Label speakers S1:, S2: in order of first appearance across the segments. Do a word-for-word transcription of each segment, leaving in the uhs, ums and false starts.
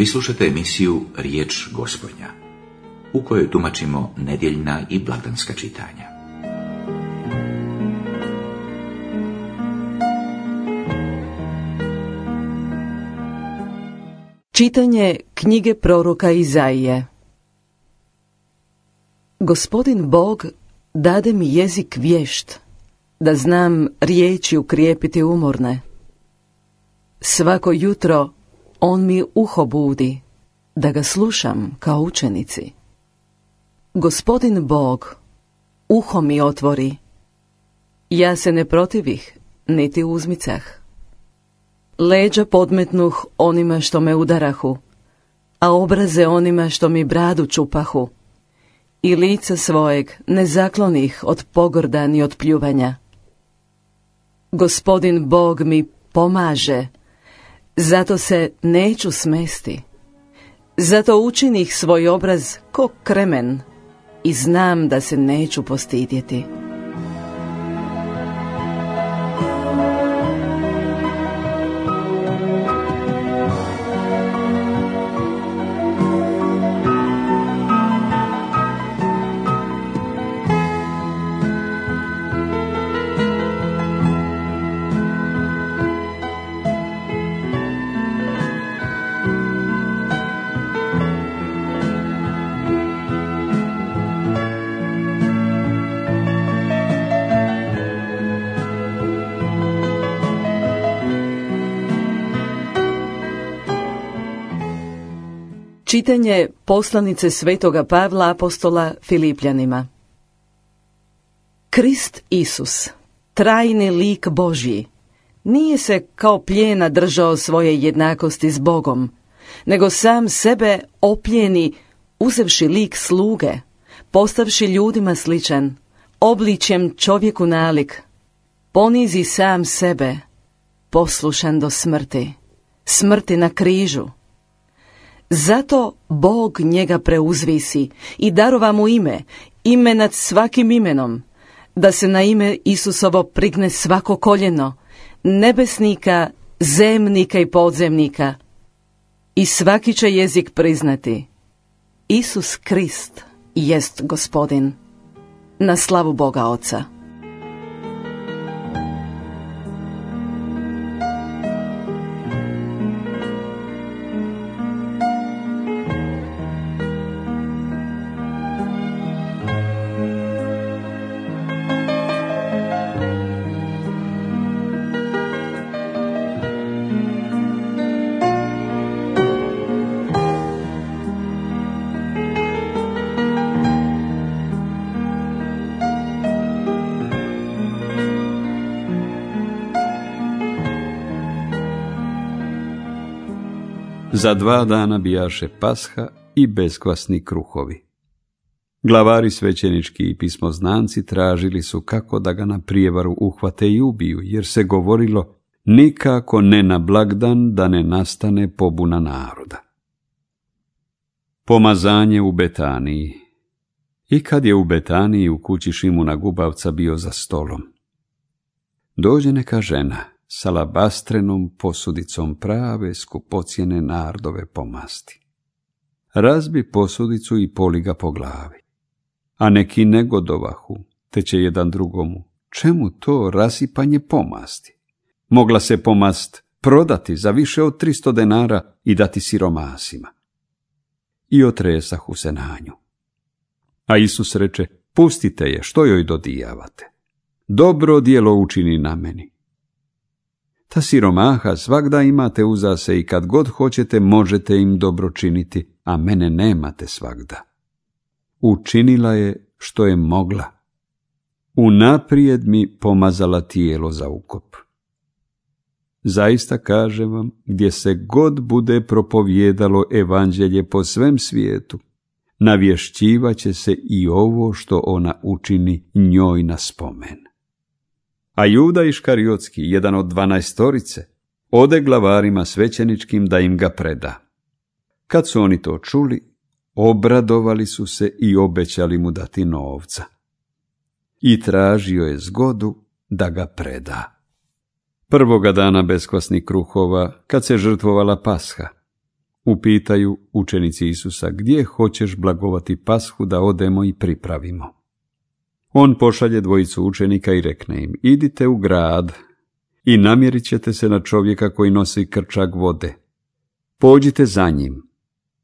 S1: Vi slušate emisiju Riječ Gospodnja, u kojoj tumačimo nedjeljna i blagdanska čitanja.
S2: Čitanje knjige proroka Izaije. Gospodin Bog dade mi jezik vješt, da znam riječi ukrijepiti umorne. Svako jutro on mi uho budi, da ga slušam kao učenici. Gospodin Bog uho mi otvori, ja se ne protivih, niti uzmicah. Leđa podmetnuh onima što me udarahu, a obraze onima što mi bradu čupahu, i lica svojeg ne zaklonih od pogorda ni od pljuvanja. Gospodin Bog mi pomaže, zato se neću smesti. Zato učinih svoj obraz ko kremen i znam da se neću postidjeti. Čitanje poslanice svetoga Pavla apostola Filipljanima. Krist Isus, trajni lik Božji, nije se kao plijena držao svoje jednakosti s Bogom, nego sam sebe oplijeni, uzevši lik sluge, postavši ljudima sličan, obličjem čovjeku nalik, ponizi sam sebe, poslušan do smrti, smrti na križu. Zato Bog njega preuzvisi i darova mu ime, ime nad svakim imenom, da se na ime Isusovo prigne svako koljeno, nebesnika, zemnika i podzemnika, i svaki će jezik priznati: Isus Krist jest Gospodin, na slavu Boga Oca.
S3: Za dva dana bijaše Pasha i beskvasni kruhovi. Glavari svećenički i pismoznanci tražili su kako da ga na prijevaru uhvate i ubiju, jer se govorilo: nikako ne na blagdan da ne nastane pobuna naroda. Pomazanje u Betaniji. I kad je u Betaniji u kući Šimuna Gubavca bio za stolom, dođe neka žena s alabastrenom posudicom prave skupocjene nardove pomasti. Razbi posudicu i poli ga po glavi. A neki negodovahu, te će jedan drugomu: čemu to rasipanje pomasti? Mogla se pomast prodati za više od tristo denara i dati siromasima. I otresahu se na nju. A Isus reče: pustite je, što joj dodijavate? Dobro djelo učini na meni. Ta siromaha svagda imate uza se i kad god hoćete možete im dobro činiti, a mene nemate svagda. Učinila je što je mogla. Unaprijed mi pomazala tijelo za ukop. Zaista kažem vam, gdje se god bude propovijedalo evanđelje po svem svijetu, navješćivaće se i ovo što ona učini njoj na spomen. A Juda Iškariotski, jedan od dvanaestorice, ode glavarima svećeničkim da im ga preda. Kad su oni to čuli, obradovali su se i obećali mu dati novca. I tražio je zgodu da ga preda. Prvoga dana beskvasnih kruhova, kad se žrtvovala Pasha, upitaju učenici Isusa, gdje hoćeš blagovati Pashu da odemo i pripravimo. On pošalje dvojicu učenika i rekne im, idite u grad i namjerit ćete se na čovjeka koji nosi krčak vode. Pođite za njim,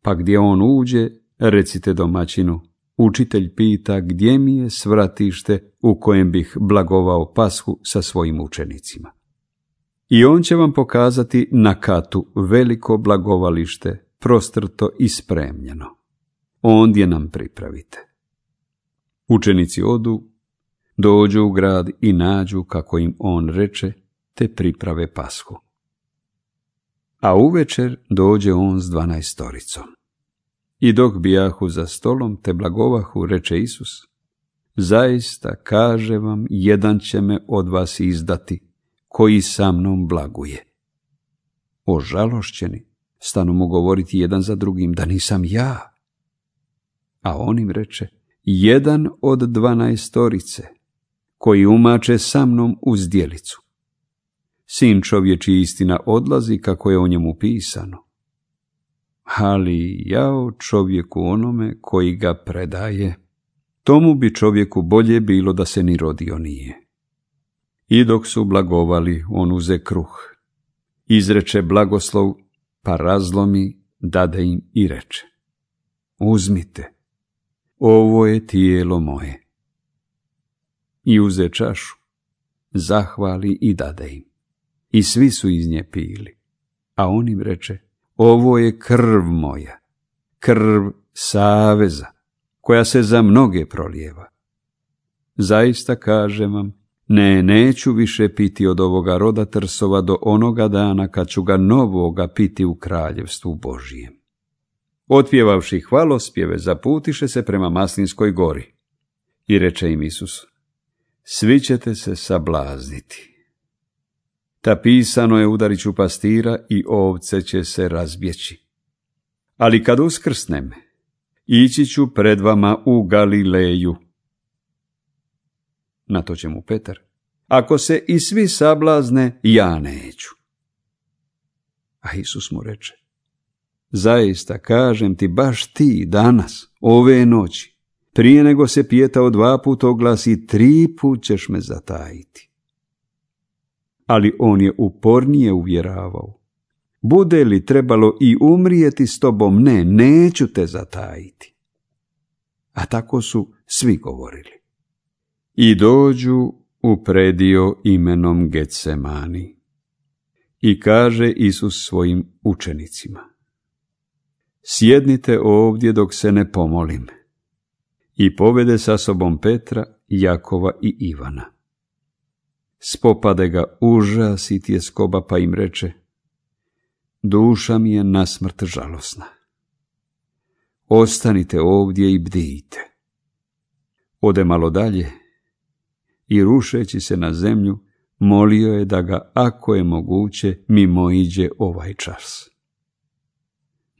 S3: pa gdje on uđe, recite domaćinu, učitelj pita gdje mi je svratište u kojem bih blagovao Pashu sa svojim učenicima. I on će vam pokazati na katu veliko blagovalište, prostrto i spremljeno. Ondje nam pripravite. Učenici odu, dođu u grad i nađu kako im on reče, te priprave Pashu. A uvečer dođe on s dvanaestoricom. I dok bijahu za stolom te blagovahu, reče Isus, zaista kaže vam, jedan će me od vas izdati, koji sa mnom blaguje. Ožalošćeni stanu mu govoriti jedan za drugim, da nisam ja. A on im reče, jedan od dvanaestorice, koji umače sa mnom u zdjelicu. Sin čovječji istina odlazi kako je o njemu pisano. Ali jao čovjeku onome koji ga predaje, tomu bi čovjeku bolje bilo da se ni rodio nije. I dok su blagovali, on uze kruh, izreče blagoslov, pa razlomi, dade im i reče, uzmite, ovo je tijelo moje. I uze čašu, zahvali i dade im. I svi su iz nje pili. A on im reče, ovo je krv moja, krv saveza, koja se za mnoge prolijeva. Zaista kažem vam, ne, neću više piti od ovoga roda trsova do onoga dana kad ću ga novoga piti u kraljevstvu Božijem. Otpjevavši hvalospjeve, zaputiše se prema Maslinskoj gori. I reče im Isus, svi ćete se sablazniti. Ta pisano je, udarit ću pastira i ovce će se razbjeći. Ali kad uskrsnem, ići ću pred vama u Galileju. Na to će mu Petar, ako se i svi sablazne, ja neću. A Isus mu reče, zaista kažem ti, baš ti danas, ove noći, prije nego se pijetao dva put oglasi, tri put ćeš me zatajiti. Ali on je upornije uvjeravao, bude li trebalo i umrijeti s tobom, ne, neću te zatajiti. A tako su svi govorili. I dođu u predio imenom Getsemani. I kaže Isus svojim učenicima, sjednite ovdje dok se ne pomolim. I povede sa sobom Petra, Jakova i Ivana. Spopade ga užas i tjeskoba, pa im reče, duša mi je nasmrt žalosna. Ostanite ovdje i bdijte. Ode malo dalje i rušeći se na zemlju, molio je da ga, ako je moguće, mimoiđe ovaj čas.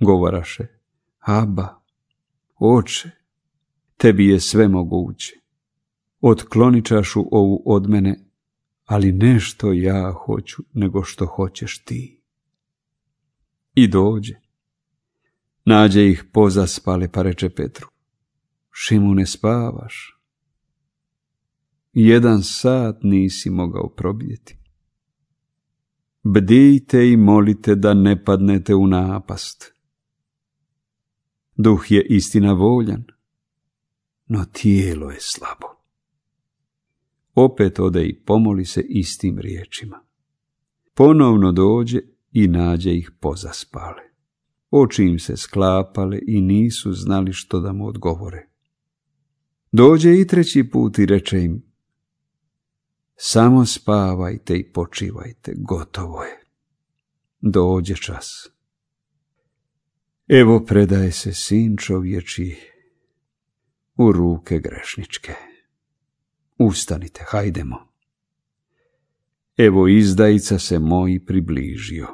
S3: Govoraše, Aba, oče, tebi je sve moguće. Otkloni čašu ovu od mene, ali ne što ja hoću, nego što hoćeš ti. I dođe. Nađe ih pozaspale, pa reče Petru, Šimune, spavaš? Jedan sat nisi mogao probdjeti. Bdijte i molite da ne padnete u napast. Duh je istina voljan, no tijelo je slabo. Opet ode i pomoli se istim riječima. Ponovno dođe i nađe ih pozaspale. Oči im se sklapale i nisu znali što da mu odgovore. Dođe i treći put i reče im, samo spavajte i počivajte, gotovo je. Dođe čas. Evo predaje se sin čovječji u ruke grešničke. Ustanite, hajdemo. Evo izdajica se moj približio.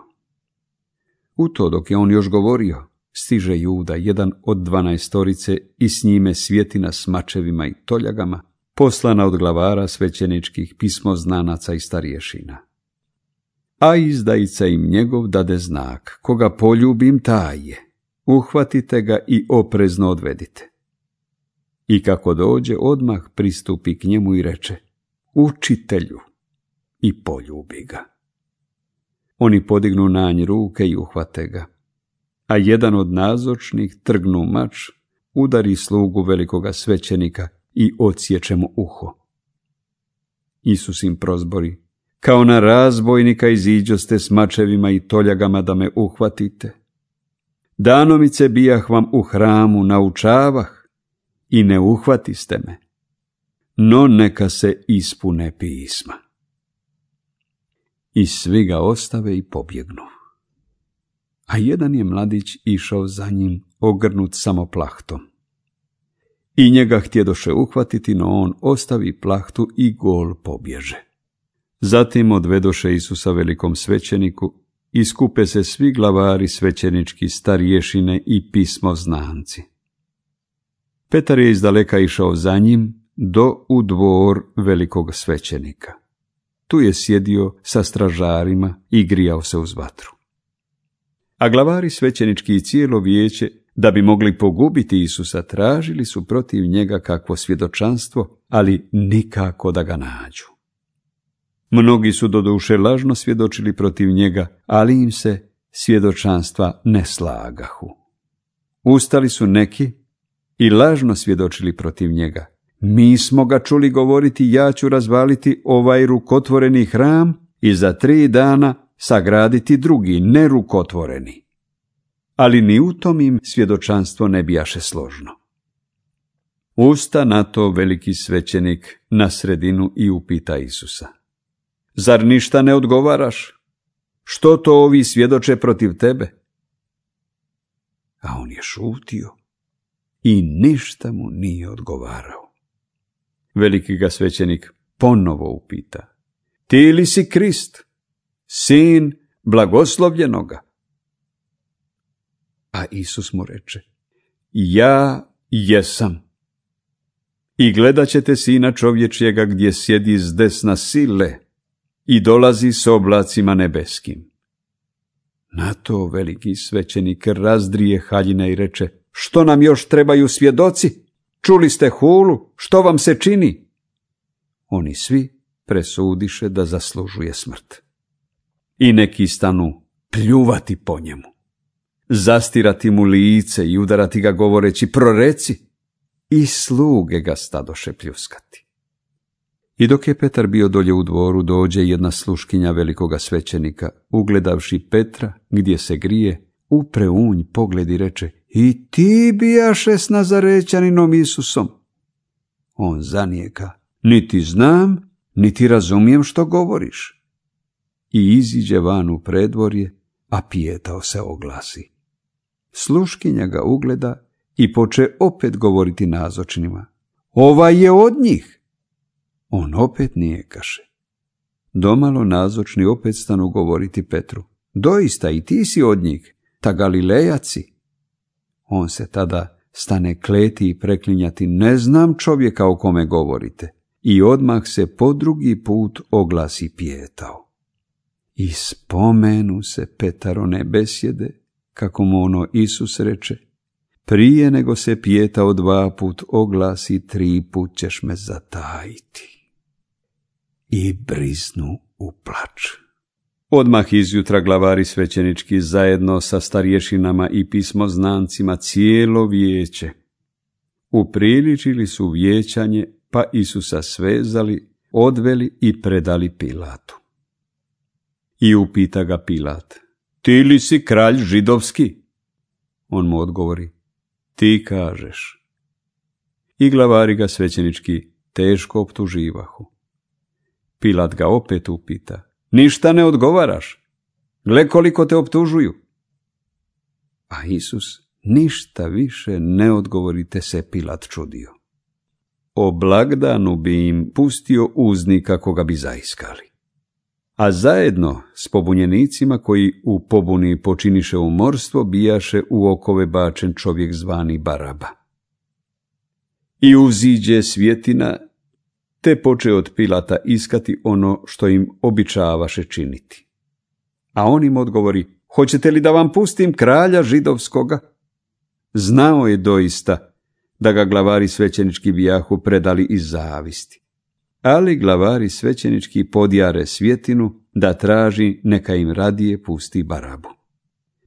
S3: U to dok je on još govorio, stiže Juda, jedan od dvanaestorice, i s njime svjetina s mačevima i toljagama, poslana od glavara svećeničkih, pismoznanaca i starješina. a izdajica im njegov dade znak, koga poljubim taj je, uhvatite ga i oprezno odvedite. I kako dođe, odmah pristupi k njemu i reče, učitelju, i poljubi ga. Oni podignu na nj ruke i uhvate ga, a jedan od nazočnih trgnu mač, udari slugu velikoga svećenika i odsječe mu uho. Isus im prozbori, kao na razbojnika iziđoste s mačevima i toljagama da me uhvatite. Danomice bijah vam u hramu, naučavah i ne uhvatiste me, no neka se ispune pisma. I svi ga ostave i pobjegnu. A jedan je mladić išao za njim, ogrnut samo plahtom. I njega htjedoše uhvatiti, no on ostavi plahtu i gol pobježe. Zatim odvedoše Isusa velikom svećeniku i skupe se svi glavari svećenički, starješine i pismoznanci. Petar je izdaleka išao za njim do u dvor velikog svećenika. Tu je sjedio sa stražarima i grijao se uz vatru. A glavari svećenički i cijelo vijeće, da bi mogli pogubiti Isusa, tražili su protiv njega kakvo svjedočanstvo, ali nikako da ga nađu. Mnogi su doduše lažno svjedočili protiv njega, ali im se svjedočanstva ne slagahu. Ustali su neki i lažno svjedočili protiv njega. Mi smo ga čuli govoriti, ja ću razvaliti ovaj rukotvoreni hram i za tri dana sagraditi drugi, nerukotvoreni. Ali ni u tom im svjedočanstvo ne bijaše složno. Usta na to veliki svećenik na sredinu i upita Isusa, zar ništa ne odgovaraš? Što to ovi svjedoče protiv tebe? A on je šutio i ništa mu nije odgovarao. Veliki ga svećenik ponovo upita, ti li si Krist, sin blagoslovljenoga? A Isus mu reče, ja jesam. I gledat ćete Sina čovječjega gdje sjedi s desna sile i dolazi s oblacima nebeskim. Na to veliki svećenik razdrije haljine i reče, što nam još trebaju svjedoci? Čuli ste hulu, što vam se čini? Oni svi presudiše da zaslužuje smrt. I neki stanu pljuvati po njemu, zastirati mu lice i udarati ga govoreći, proreci, i sluge ga stadoše pljuskati. I dok je Petar bio dolje u dvoru, dođe jedna sluškinja velikoga svećenika, ugledavši Petra gdje se grije, upre u nj pogled i reče, i ti bijaše s Nazarećaninom Isusom. On zanijeka, niti znam, niti razumijem što govoriš. I iziđe van u predvorje, a pijetao se oglasi. Sluškinja ga ugleda i poče opet govoriti nazočnima, ovaj je od njih. On opet nijekaše. Domalo nazočni opet stanu govoriti Petru, doista i ti si od njih, ta Galilejaci. On se tada stane kleti i preklinjati, ne znam čovjeka o kome govorite, i odmah se po drugi put oglasi pijetao. I spomenu se Petarone besjede, kako mu ono Isus reče, prije nego se pijetao dva put oglasi, tri put ćeš me zatajiti. I briznu u plač. Odmah izjutra glavari svećenički zajedno sa starješinama i pismoznancima cijelo vijeće upriličili su vijećanje, pa Isusa svezali, odveli i predali Pilatu. I upita ga Pilat, ti li si kralj židovski? On mu odgovori, ti kažeš. I glavari ga svećenički teško optuživahu. Pilat ga opet upita, ništa ne odgovaraš? Gle koliko te optužuju. A Isus ništa više ne odgovorite, se Pilat čudio. O blagdanu bi im pustio uznika koga bi zaiskali. A zajedno s pobunjenicima koji u pobuni počiniše umorstvo bijaše u okove bačen čovjek zvani Baraba. I uziđe svjetina, te poče od Pilata iskati ono što im običavaše činiti. A on im odgovori, hoćete li da vam pustim kralja židovskoga? Znao je doista da ga glavari svećenički bijahu predali iz zavisti. Ali glavari svećenički podjare svjetinu da traži neka im radije pusti Barabu.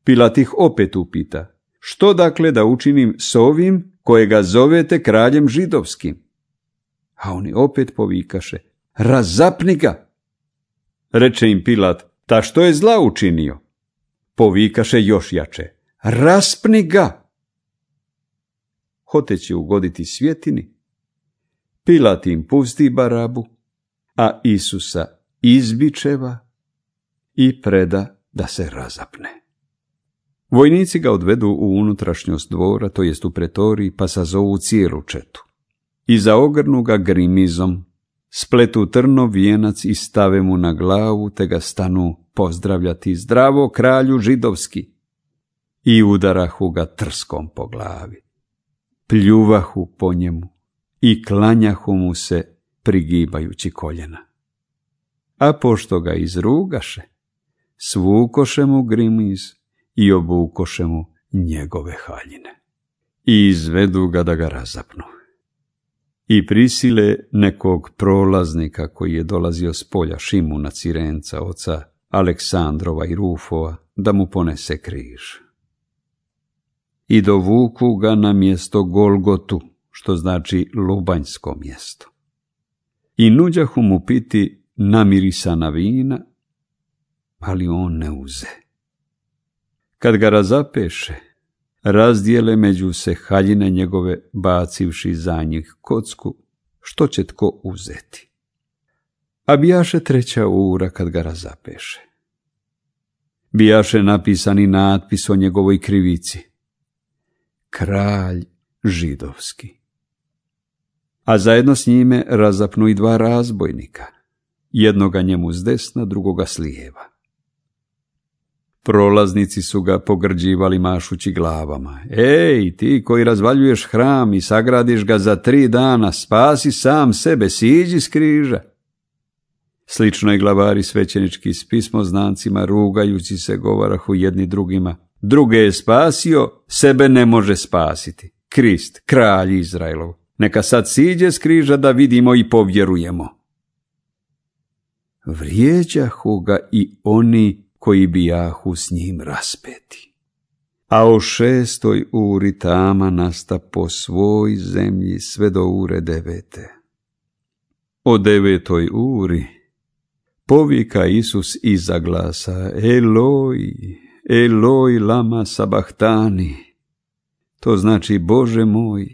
S3: Pilat ih opet upita, što dakle da učinim s ovim kojega zovete kraljem židovskim? A oni opet povikaše, razapni ga. Reče im Pilat, ta što je zla učinio? Povikaše još jače, raspni ga. Hoteći ugoditi svjetini, Pilat im pusti Barabu, a Isusa izbičeva i preda da se razapne. Vojnici ga odvedu u unutrašnjost dvora, to jest u pretoriji, pa sazovu cijelu četu. I zaogrnu ga grimizom, spletu trnov vijenac i stave mu na glavu, te ga stanu pozdravljati, zdravo kralju židovski. I udarahu ga trskom po glavi. Pljuvahu po njemu i klanjahu mu se prigibajući koljena. A pošto ga izrugaše, svukoše mu grimiz i obukoše mu njegove haljine. I izvedu ga da ga razapnu. I prisile nekog prolaznika koji je dolazio s polja Šimuna Cirenca, oca Aleksandrova i Rufova, da mu ponese križ. I dovuku ga na mjesto Golgotu, što znači lubanjsko mjesto. I nuđahu mu piti namirisana vina, ali on ne uze. Kad ga razapeše, razdijele među se haljine njegove, bacivši za njih kocku, što će tko uzeti. A bijaše treća ura kad ga razapeše. Bijaše napisani natpis o njegovoj krivici. Kralj židovski. A zajedno s njime razapnu i dva razbojnika, jednoga njemu s desna, drugoga s lijeva. Prolaznici su ga pogrđivali mašući glavama. Ej, ti koji razvaljuješ hram i sagradiš ga za tri dana, spasi sam sebe, siđi s križa. Slično i glavari svećenički s pismoznancima, rugajući se, govarahu jedni drugima. Druge je spasio, sebe ne može spasiti. Krist, kralj Izraelov, neka sad siđe s križa da vidimo i povjerujemo. Vrijeđahu ga i oni koji bijahu s njim raspeti. A o šestoj uri tama nasta po svoj zemlji sve do ure devete. O devetoj uri povika Isus iza glasa, Eloj, Eloj lama sabahtani. To znači, Bože moj,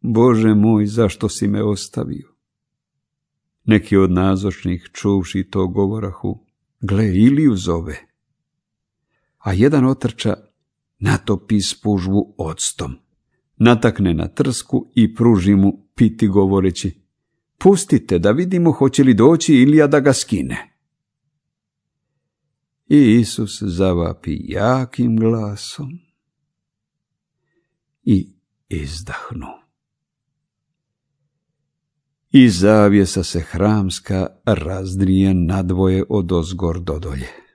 S3: Bože moj, zašto si me ostavio? Neki od nazočnih, čuvši to, govorahu, gle, Iliju zove. A jedan otrča natopi spužvu octom, natakne na trsku i pruži mu piti govoreći, pustite da vidimo hoće li doći Ilija da ga skine. I Isus zavapi jakim glasom i izdahnu. I zavjesa se hramska razdrije nadvoje od ozgor do dolje.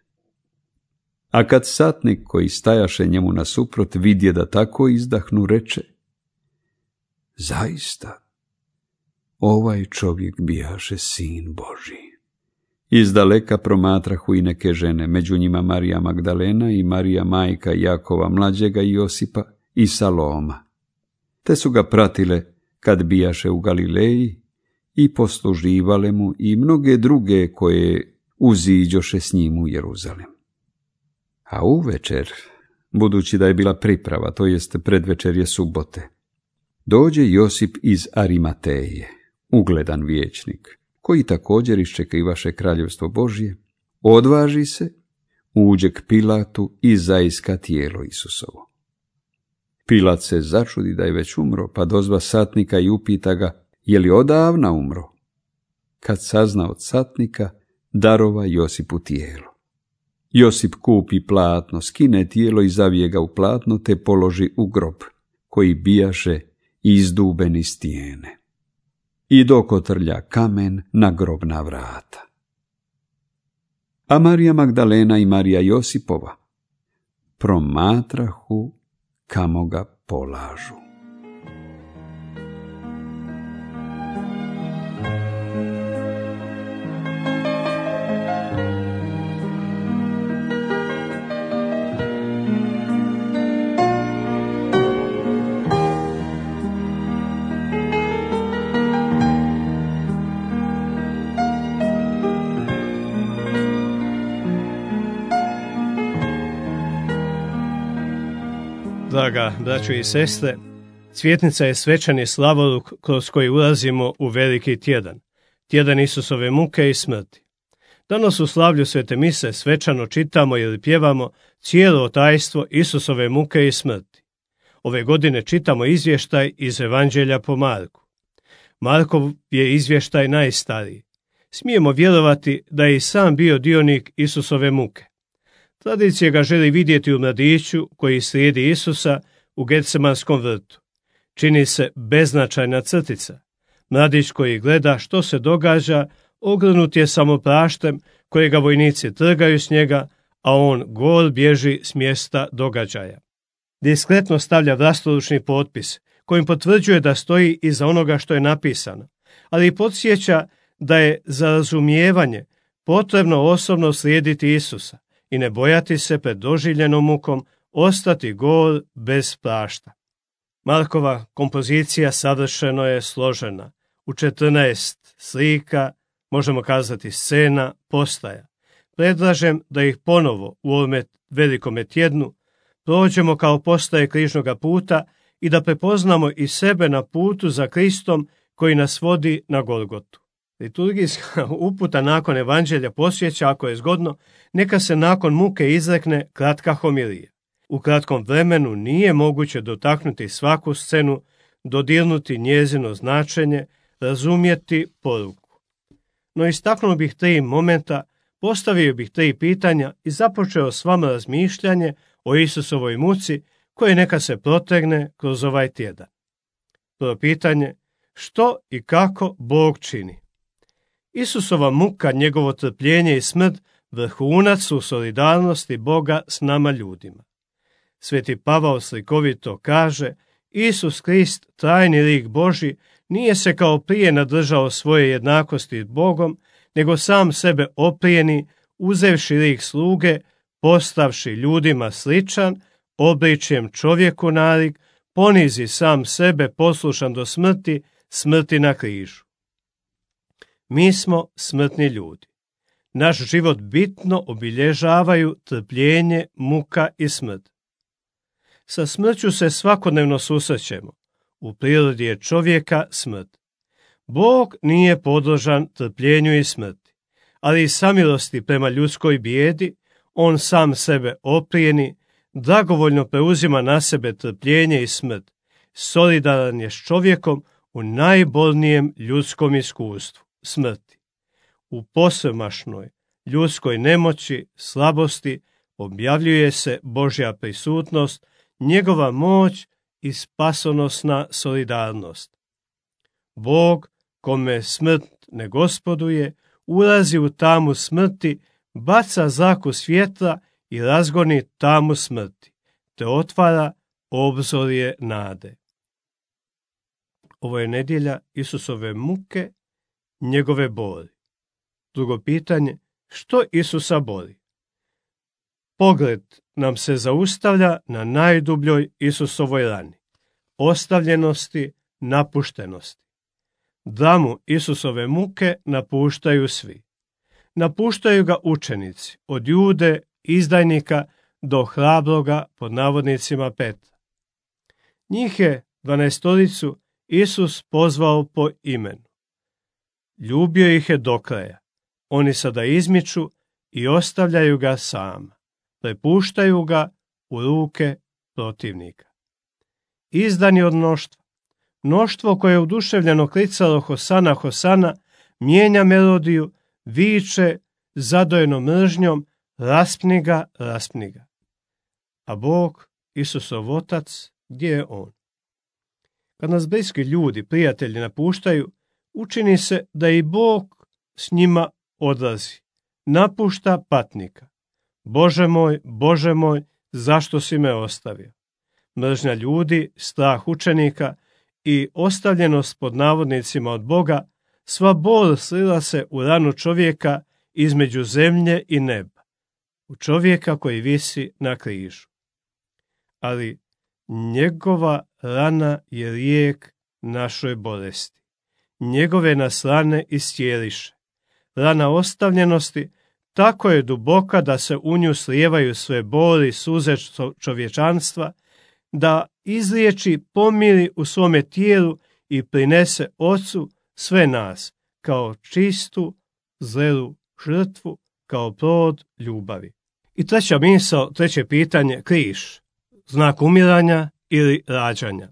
S3: A kad satnik koji stajaše njemu nasuprot vidje da tako izdahnu, reče, zaista, ovaj čovjek bijaše sin Božji. Izdaleka promatrahu i neke žene, među njima Marija Magdalena i Marija majka Jakova mlađega i Josipa i Saloma. Te su ga pratile kad bijaše u Galileji i posluživale mu i mnoge druge koje uziđoše s njim u Jeruzalem. A uvečer, budući da je bila priprava, to jest predvečerje subote, dođe Josip iz Arimateje, ugledan vijećnik, koji također iščekivaše kraljevstvo Božje, odvaži se, uđe k Pilatu i zaiska tijelo Isusovo. Pilat se začudi da je već umro, pa dozva satnika i upita ga, je li odavna umro? Kad sazna od satnika, darova Josipu tijelo. Josip kupi platno, skine tijelo i zavije ga u platno, te položi u grob, koji bijaše izduben iz stijene. I dokotrlja kamen na grobna vrata. a Marija Magdalena i Marija Josipova promatrahu kamo ga polažu.
S4: Draga braćo i sestre, Cvjetnica je svečani slavoluk kroz koji ulazimo u veliki tjedan, tjedan Isusove muke i smrti. Danas u slavlju Svete mise svečano čitamo ili pjevamo cijelo tajstvo Isusove muke i smrti. Ove godine čitamo izvještaj iz Evanđelja po Marku. Markov je izvještaj najstariji. Smijemo vjerovati da je i sam bio dionik Isusove muke. Tradicija ga želi vidjeti u mladiću koji slijedi Isusa u Getsemanskom vrtu. Čini se beznačajna crtica. Mladić koji gleda što se događa, ogrnut je samopraštem kojega vojnici trgaju s njega, a on gol bježi s mjesta događaja. Diskretno stavlja vlastoručni potpis, kojim potvrđuje da stoji iza onoga što je napisano, ali i podsjeća da je za razumijevanje potrebno osobno slijediti Isusa i ne bojati se pred doživljenom mukom ostati gol bez prašta. Markova kompozicija savršeno je složena. U četrnaest slika, možemo kazati scena, postaja. Predlažem da ih ponovo u ovome velikome tjednu prođemo kao postaje križnoga puta i da prepoznamo i sebe na putu za Kristom koji nas vodi na Golgotu. Liturgijska uputa nakon evanđelja posjeća, ako je zgodno, neka se nakon muke izrekne kratka homilija. U kratkom vremenu nije moguće dotaknuti svaku scenu, dodirnuti njezino značenje, razumjeti poruku. No istaknuo bih tri momenta, postavio bih tri pitanja i započeo s vama razmišljanje o Isusovoj muci koje neka se protegne kroz ovaj tjedan. Prvo pitanje, što i kako Bog čini? Isusova muka, njegovo trpljenje i smrt vrhunac su solidarnosti Boga s nama ljudima. Sveti Pavao slikovito kaže, Isus Krist, trajni lik Božji, nije se kao prije nadržao svoje jednakosti s Bogom, nego sam sebe oprijeni, uzevši lik sluge, postavši ljudima sličan, obličjem čovjeku nalik, ponizi sam sebe poslušan do smrti, smrti na križu. Mi smo smrtni ljudi. Naš život bitno obilježavaju trpljenje, muka i smrt. Sa smrću se svakodnevno susrećemo. U prirodi je čovjeka smrt. Bog nije podložan trpljenju i smrti, ali iz samilosti prema ljudskoj bijedi, on sam sebe oprijeni, dragovoljno preuzima na sebe trpljenje i smrt, solidaran je s čovjekom u najbolnijem ljudskom iskustvu, smrti. U posvemašnoj ljudskoj nemoći, slabosti, objavljuje se Božja prisutnost, njegova moć i spasonosna solidarnost. Bog, kome smrt ne gospoduje, ulazi u tamu smrti, baca zraku svjetla i razgoni tamu smrti, te otvara obzorje nade. Ovo je nedjelja Isusove muke, njegove boli. Drugo pitanje, što Isusa boli? Pogled nam se zaustavlja na najdubljoj Isusovoj rani, ostavljenosti, napuštenosti. Dramu Isusove muke napuštaju svi. Napuštaju ga učenici, od Jude, izdajnika, do hrabroga, pod navodnicima Petra. Njih je dvanaestoricu Isus pozvao po imenu. Ljubio ih je do kraja. Oni sada izmiču i ostavljaju ga sama. Prepuštaju ga u ruke protivnika. Izdani od mnoštva. Mnoštvo koje je oduševljeno klicalo Hosana, Hosana, mijenja melodiju, viče zadojeno mržnjom, raspni ga, raspni ga. A Bog, Isusov Otac, gdje je On? Kad nas bliski ljudi, prijatelji napuštaju, učini se da i Bog s njima odlazi, napušta patnika. Bože moj, Bože moj, zašto si me ostavio? Mržnja ljudi, strah učenika i ostavljenost pod navodnicima od Boga, sva bol slila se u ranu čovjeka između zemlje i neba, u čovjeka koji visi na križu. Ali njegova rana je lijek našoj bolesti. Njegove nas rane iscijeliše. Rana ostavljenosti tako je duboka da se u nju slijevaju sve boli i suze čovječanstva, da izliječi, pomiri u svome tijelu i prinese Ocu sve nas kao čistu, zrelu žrtvu, kao plod ljubavi. I treća misao, treće pitanje, križ, znak umiranja ili rađanja.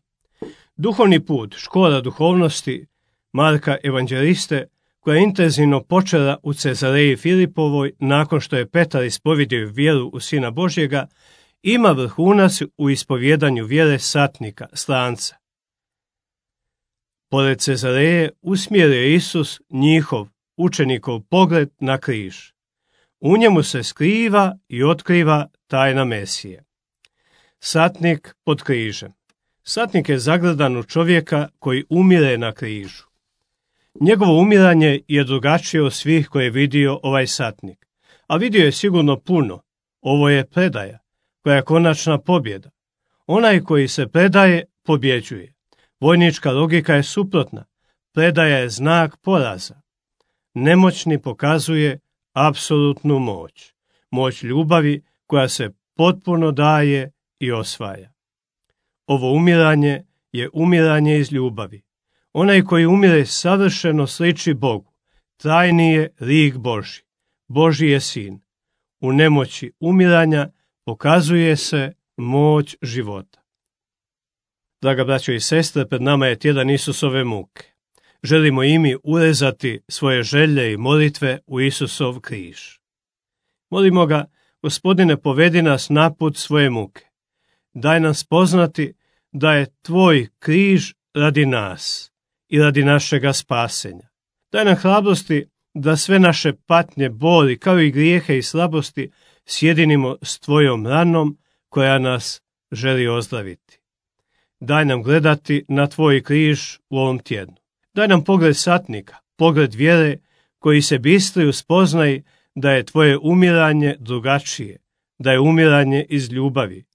S4: Duhovni put, škola duhovnosti Marka Evanđeliste, koja je intenzivno počela u Cezareji Filipovoj nakon što je Petar ispovjedio vjeru u Sina Božjega, ima vrhunac u ispovjedanju vjere satnika, stranca. Pored Cezareje usmjerio je Isus njihov, učenikov pogled na križ. U njemu se skriva i otkriva tajna Mesije. Satnik pod križem. Satnik je zagledan u čovjeka koji umire na križu. Njegovo umiranje je drugačije od svih koje je vidio ovaj satnik. A vidio je sigurno puno. Ovo je predaja, koja je konačna pobjeda. Onaj koji se predaje, pobjeđuje. Vojnička logika je suprotna. Predaja je znak poraza. Nemoćni pokazuje apsolutnu moć. Moć ljubavi koja se potpuno daje i osvaja. Ovo umiranje je umiranje iz ljubavi. Onaj koji umire savršeno sliči Bogu. Trajni je lik Božji. Božji je sin. U nemoći umiranja pokazuje se moć života. Draga braćo i sestre, pred nama je tjedan Isusove muke. Želimo i mi urezati svoje želje i molitve u Isusov križ. Molimo ga, Gospodine, povedi nas na put svoje muke. Daj nam spoznati da je tvoj križ radi nas i radi našega spasenja. Daj nam hrabrosti da sve naše patnje, boli, kao i grijehe i slabosti sjedinimo s tvojom ranom koja nas želi ozdraviti. Daj nam gledati na tvoj križ u ovom tjednu. Daj nam pogled satnika, pogled vjere koji se bistri spoznaje da je tvoje umiranje drugačije, da je umiranje iz ljubavi,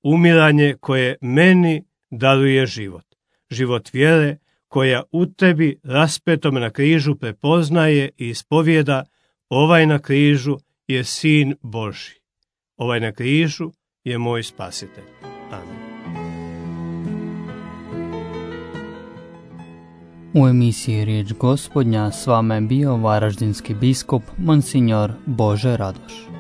S4: umiranje koje meni daruje život. Život vjere koja u tebi raspetom na križu prepoznaje i ispovijeda: ovaj na križu je Sin Božji. Ovaj na križu je moj spasitelj. Amen.
S5: U emisiji Riječ Gospodnja s vama je bio varaždinski biskup Monsignor Bože Radoš.